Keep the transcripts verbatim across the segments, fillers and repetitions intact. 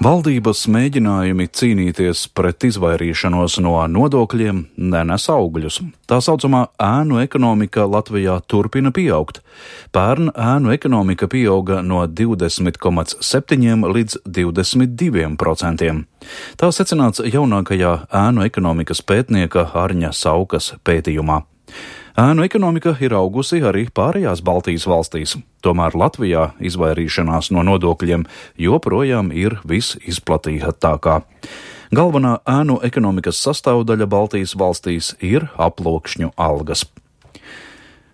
Valdības mēģinājumi cīnīties pret izvairīšanos no nodokļiem nenes augļus. Tā saucamā ēnu ekonomika Latvijā turpina pieaugt. Pērn ēnu ekonomika pieauga no divdesmit komats septiņi līdz divdesmit divi procenti. Tā secināts jaunākajā ēnu ekonomikas pētnieka Arņa Saukas pētījumā. Ēnu ekonomika ir augusi arī pārējās Baltijas valstīs, tomēr Latvijā izvairīšanās no nodokļiem joprojām ir visizplatītākā. Galvenā ēnu ekonomikas sastāvdaļa Baltijas valstīs ir aploksņu algas.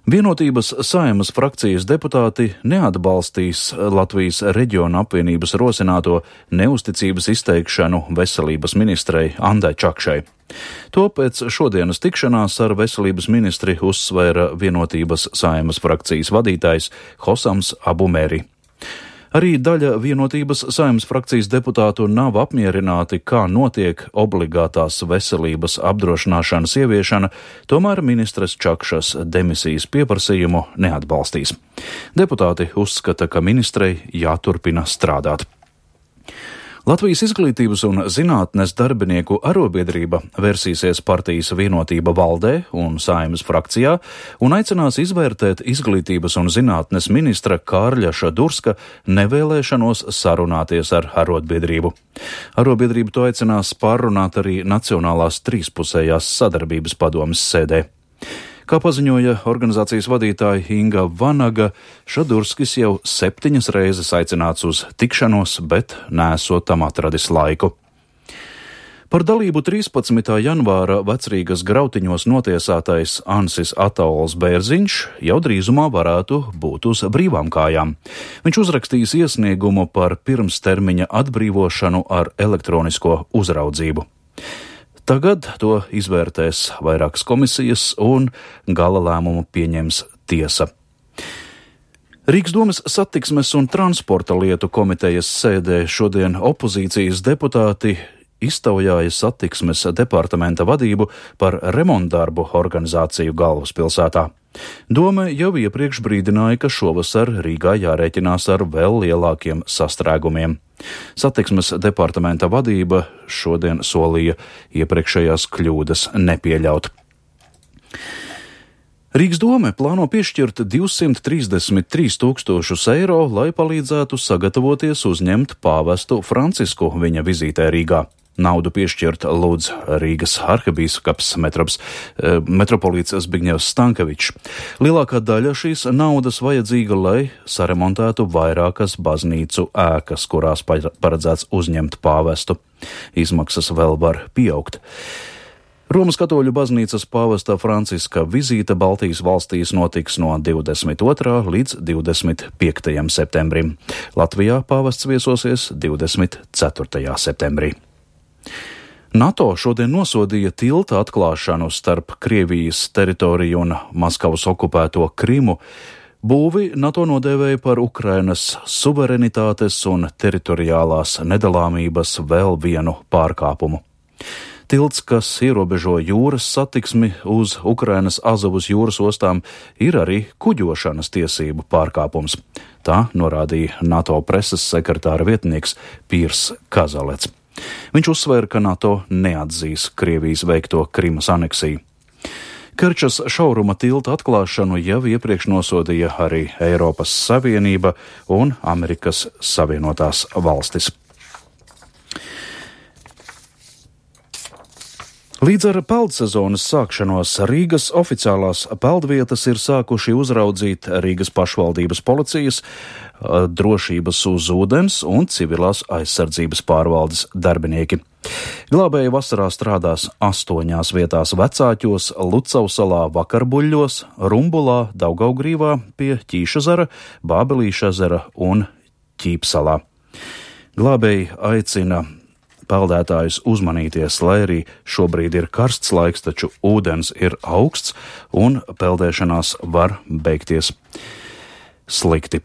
Vienotības Saeimas frakcijas deputāti neatbalstīs Latvijas reģiona apvienības rosināto neusticības izteikšanu veselības ministrei Andai Čakšai. To pēc šodienas tikšanās ar veselības ministri uzsvēra Vienotības Saeimas frakcijas vadītājs Hosams Abumeri. Arī daļa Vienotības Saeimas frakcijas deputātu nav apmierināti, kā notiek obligātās veselības apdrošināšanas ieviešana, tomēr ministres Čakšas demisijas pieprasījumu neatbalstīs. Deputāti uzskata, ka ministrei jāturpina strādāt. Latvijas izglītības un zinātnes darbinieku arobiedrība vērsīsies partijas Vienotība valdē un Saeimas frakcijā un aicinās izvērtēt izglītības un zinātnes ministra Kārļa Šadurska nevēlēšanos sarunāties ar arotbiedrību. Arobiedrība to aicinās pārrunāt arī Nacionālās trīspusējās sadarbības padomes sēdē. Kā paziņoja organizācijas vadītāja Inga Vanaga, Šadurskis jau septiņas reizes aicināts uz tikšanos, bet nesot tam atradis laiku. Par dalību trīspadsmitā janvāra Vecrīgas Grautiņos notiesātais Ansis Ataols Bērziņš jau drīzumā varētu būt uz brīvām kājām. Viņš uzrakstījis iesniegumu par pirmstermiņa atbrīvošanu ar elektronisko uzraudzību. Tagad to izvērtēs vairākas komisijas un gala lēmumu pieņems tiesa. Rīgas domes satiksmes un transporta lietu komitejas sēdē šodien opozīcijas deputāti iztaujāja satiksmes departamenta vadību par remontdarbu organizāciju galvaspilsētā. Dome jau iepriekš brīdināja, ka šovasar Rīgā jārēķinās ar vēl lielākiem sastrēgumiem. Satiksmes departamenta vadība šodien solīja iepriekšējās kļūdas nepieļaut. Rīgas dome plāno piešķirt divsimt trīsdesmit trīs tūkstošus eiro, lai palīdzētu sagatavoties uzņemt pāvestu Francisku viņa vizītē Rīgā. Naudu piešķirt lūdz Rīgas arhibīskaps metrops, metropolīts Zbigņevs Stankevičs. Lielākā daļa šīs naudas vajadzīga, lai saremontētu vairākas baznīcu ēkas, kurās paredzēts uzņemt pāvestu. Izmaksas vēl var pieaugt. Romas katoļu baznīcas pāvesta Franciska vizīte Baltijas valstīs notiks no divdesmit otrā līdz divdesmit piektajam septembrim. Latvijā pāvests viesosies divdesmit ceturtajā septembrī. NATO šodien nosodīja tilta atklāšanu starp Krievijas teritoriju un Maskavas okupēto Krimu. Būvi NATO nodēvēja par Ukrainas suverenitātes un teritoriālās nedalāmības vēl vienu pārkāpumu. Tilts, kas ierobežo jūras satiksmi uz Ukrainas Azovas jūras ostām, ir arī kuģošanas tiesību pārkāpums. Tā norādīja NATO preses sekretāra vietnieks Pīrs Kazalets. Viņš uzsvēra, ka NATO neatzīs Krievijas veikto Krimas aneksiju. Kerčas šauruma tilta atklāšanu jau iepriekš nosodīja arī Eiropas Savienība un Amerikas Savienotās valstis. Līdz ar peldsezonas sākšanos Rīgas oficiālās peldvietas ir sākuši uzraudzīt Rīgas pašvaldības policijas, drošības uz ūdens un civilās aizsardzības pārvaldes darbinieki. Glābēji vasarā strādās astoņās vietās Vecāķos, Lucavsalā, Vakarbuļļos, Rumbulā, Daugavgrīvā, pie Ķīšezera, Bābelīšezera un Ķīpsalā. Glābēji aicina peldētājus uzmanīties, lai arī šobrīd ir karsts laiks, taču ūdens ir augsts un peldēšanās var beigties slikti.